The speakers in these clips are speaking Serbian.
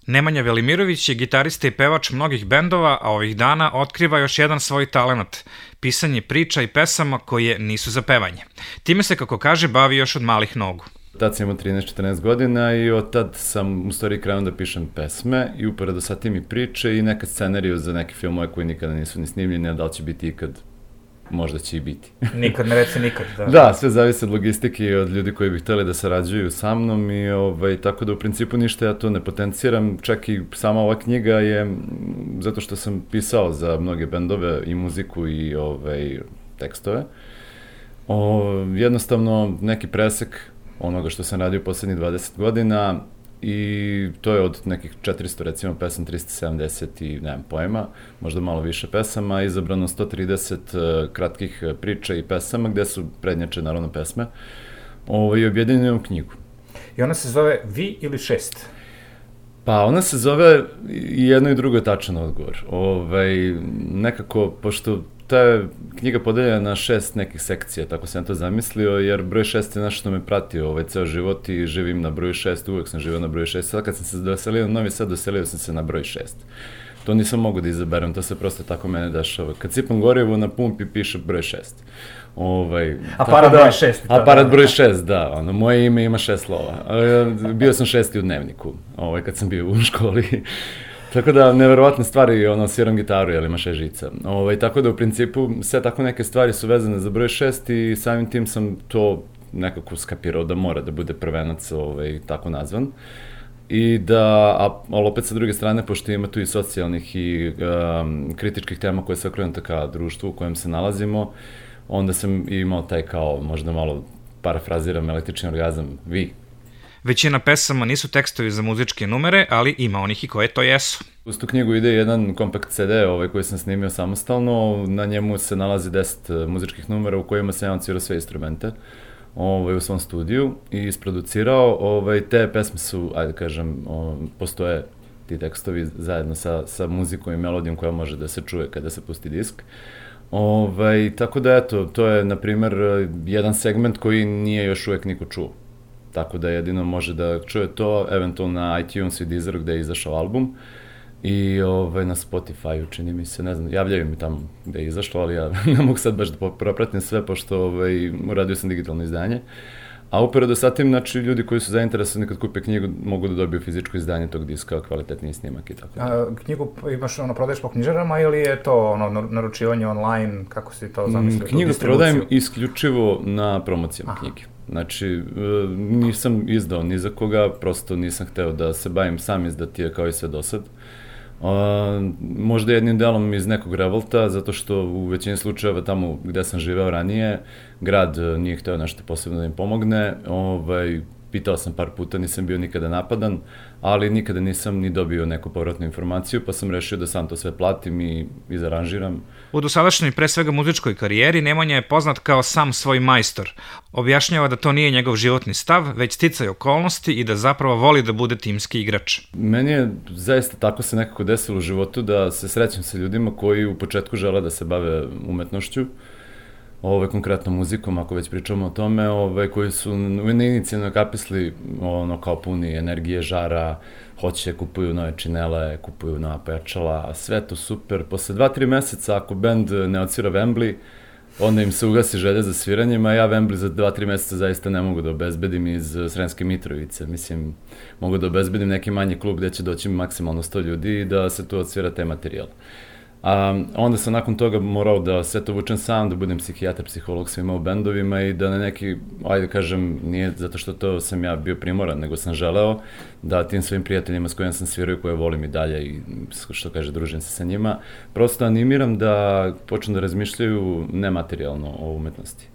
Nemanja Velimirović je gitarista i pevač mnogih bendova, a ovih dana otkriva još jedan svoj talenat – pisanje priča i pesama koje nisu za pevanje. Time se, kako kaže, bavi još od malih nogu. Tad sam imao 13-14 godina i od tad sam u stvari krenuo da pišem pesme i uporedo sa tim i priče i neka scenariju za neke filmove koji nikada nisu ni snimljeni, a da li će biti ikad, možda će i biti. Nikad ne reci nikad. Da, sve zavisi od logistike i od ljudi koji bi hteli da sarađuju sa mnom i tako da u principu ništa ja to ne potenciram, čak i sama ova knjiga je, zato što sam pisao za mnoge bendove i muziku i tekstove, jednostavno neki presek onoga što sam radio poslednjih 20 godina i to je od nekih 400 recimo pesama, 370 i nemam pojma, možda malo više pesama, izabrano 130 kratkih priča i pesama gde su prednjače naravno pesme i objedinjeno u knjigu. I ona se zove Vi ili šest? Pa ona se zove i jedno i drugo je tačan odgovor. Nekako, pošto ta je knjiga podeljena na 6 nekih sekcija, tako sam to zamislio, jer broj 6 je nešto što me prati ceo život i živim na broju 6, uvek sam živio na broju 6, sad kad sam se doselio na Novi Sad, doselio sam se na broj 6. To nisam mogu da izaberem, to se prosto tako mene dešava. Kad sipam gorivo na pumpi piše broj 6. Aparat broj 6. Aparat broj 6, da. Moje ime ima 6 slova. Bio sam 6. u dnevniku, kad sam bio u školi. Tako da, neverovatne stvari, sviram gitaru, jer ima 6 žica. Tako da, u principu, sve tako neke stvari su vezane za broj 6 i samim tim sam to nekako skapirao da mora da bude prvenac tako nazvan. Ali opet sa druge strane, pošto ima tu i socijalnih i kritičkih tema koje se okrenuta ka društvu u kojem se nalazimo, onda sam imao taj kao, možda malo parafraziram, električni orgazam, vi. Većina pesama nisu tekstovi za muzičke numere, ali ima onih i koje to jesu. Uz tu knjigu ide jedan kompakt CD koji sam snimio samostalno, na njemu se nalazi 10 muzičkih numera u kojima sam ja odsvirao sve instrumente u svom studiju i isproducirao. Te pesme su, ajde kažem, postoje ti tekstovi zajedno sa muzikom i melodijom koja može da se čuje kada se pusti disk. Tako da eto, to je na primer jedan segment koji nije još uvek niko čuo. Tako da jedino može da čuje to, eventualno na iTunes i Deezeru gde je izašao album i na Spotify-u, čini mi se, ne znam, javljaju mi tamo gde je izašlo, ali ja ne mogu sad baš da propratim sve, pošto uradio sam digitalno izdanje. A uporedo sa tim, znači, ljudi koji su zainteresovani kad kupe knjigu mogu da dobiju fizičko izdanje tog diska, kvalitetniji snimak i tako da. Knjigu imaš, prodaješ po knjižarama ili je to naručivanje online, kako si to zamislio? Knjigu prodajem isključivo na promocijama knjige. Znači, nisam izdao ni za koga, prosto nisam hteo da se bavim sam izdatije kao i sve do sad. Možda jednim delom iz nekog revolta, zato što u većini slučajeva tamo gde sam živeo ranije, grad nije hteo nešto posebno da im pomogne. Pitao sam par puta, nisam bio nikada napadan, ali nikada nisam ni dobio neku povratnu informaciju, pa sam rešio da sam to sve platim i izaranžiram. U dosadašnjoj, pre svega muzičkoj karijeri, Nemanja je poznat kao sam svoj majstor. Objašnjava da to nije njegov životni stav, već sticaj okolnosti i da zapravo voli da bude timski igrač. Meni je zaista tako se nekako desilo u životu da se srećem sa ljudima koji u početku žele da se bave umetnošću, konkretno muzikom, ako već pričamo o tome, koji su inicijalno kapisli kao puni energije, žara, hoće, kupuju nove činele, kupuju nova pojačala, sve to super. Posle 2-3 meseca, ako bend ne odsvira Wembley, onda im se ugasi želja za sviranjem, a ja Wembley za 2-3 meseca zaista ne mogu da obezbedim iz Sremske Mitrovice. Mislim, mogu da obezbedim neki manji klub gde će doći maksimalno 100 ljudi i da se tu odsvira te materijal. Onda sam nakon toga morao da sve to vučem sam, da budem psihijatar, psiholog svima u bendovima i da na neki, ajde kažem, nije zato što to sam ja bio primoran, nego sam želeo da tim svojim prijateljima s kojima sam svirao i koje volim i dalje i što kaže, družim se sa njima, prosto animiram da počnu da razmišljaju nematerijalno o umetnosti.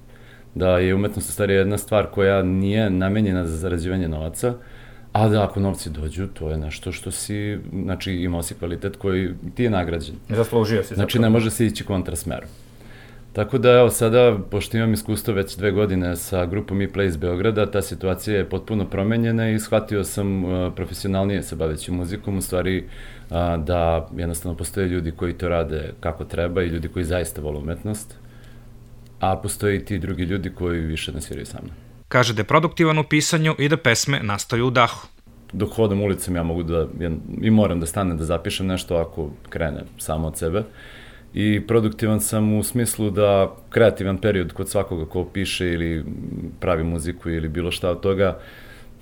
Da je umetnost u stvari jedna stvar koja nije namenjena za zarađivanje novaca, a da ako novci dođu, to je nešto što si, znači imao si kvalitet koji ti je nagrađen. Zaslužio si. Znači ne može se ići kontrasmerom. Tako da evo sada, pošto imam iskustvo već 2 godine sa grupom E-Play iz Beograda, ta situacija je potpuno promenjena i shvatio sam profesionalnije se baveći muzikom, u stvari da jednostavno postoje ljudi koji to rade kako treba i ljudi koji zaista vole umetnost, a postoje i ti drugi ljudi koji više ne sviraju sa mnom. Kaže da je produktivan u pisanju i da pesme nastaju u dahu. dok hodam ulicom ja mogu i moram da stanem da zapišem nešto ako krene samo od sebe. I produktivan sam u smislu da kreativan period kod svakoga ko piše ili pravi muziku ili bilo šta od toga,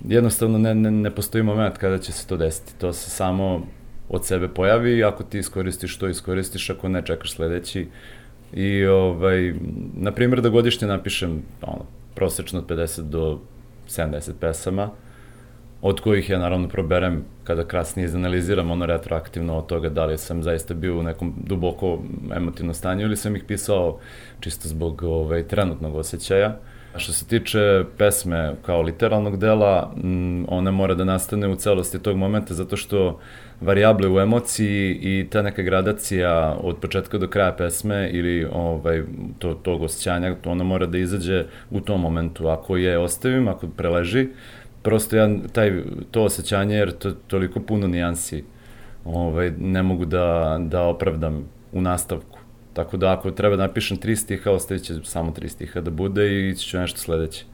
jednostavno ne postoji moment kada će se to desiti. To se samo od sebe pojavi, ako ti iskoristiš to iskoristiš, ako ne čekaš sledeći. I, na primjer, da godišnje napišem prosečno od 50 do 70 pesama, od kojih ja naravno proberem kada kasnije izanaliziram retroaktivno od toga da li sam zaista bio u nekom duboko emotivnom stanju ili sam ih pisao čisto zbog trenutnog osjećaja. A što se tiče pesme kao literalnog dela, ona mora da nastane u celosti tog momenta zato što varijable u emociji i ta neka gradacija od početka do kraja pesme ili tog osjećanja, ona mora da izađe u tom momentu. Ako je ostavim, ako preleži, prosto ja to osjećanje, jer to toliko puno nijansi, ne mogu da opravdam u nastavku. Tako da ako treba da napišem 3 stiha, ostavit će samo 3 stiha da bude i ići ću nešto sledeće.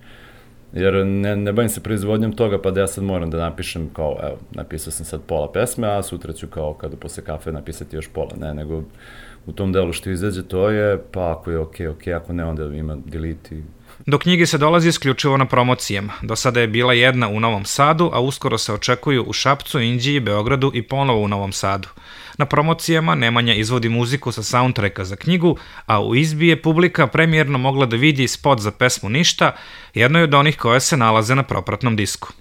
Jer ne bavim se proizvodnjom toga, pa da ja sad moram da napišem kao, evo, napisao sam sad pola pesme, a sutra ću kao kada posle kafe napisati još pola. Ne, nego u tom delu što izađe to je, pa ako je okej, ako ne, onda ima delete. Do knjige se dolazi isključivo na promocijama. Do sada je bila jedna u Novom Sadu, a uskoro se očekuju u Šapcu, Inđiji, Beogradu i ponovo u Novom Sadu. Na promocijama Nemanja izvodi muziku sa soundtracka za knjigu, a u izbi je publika premijerno mogla da vidi spot za pesmu Ništa, jedno je od onih koje se nalaze na propratnom disku.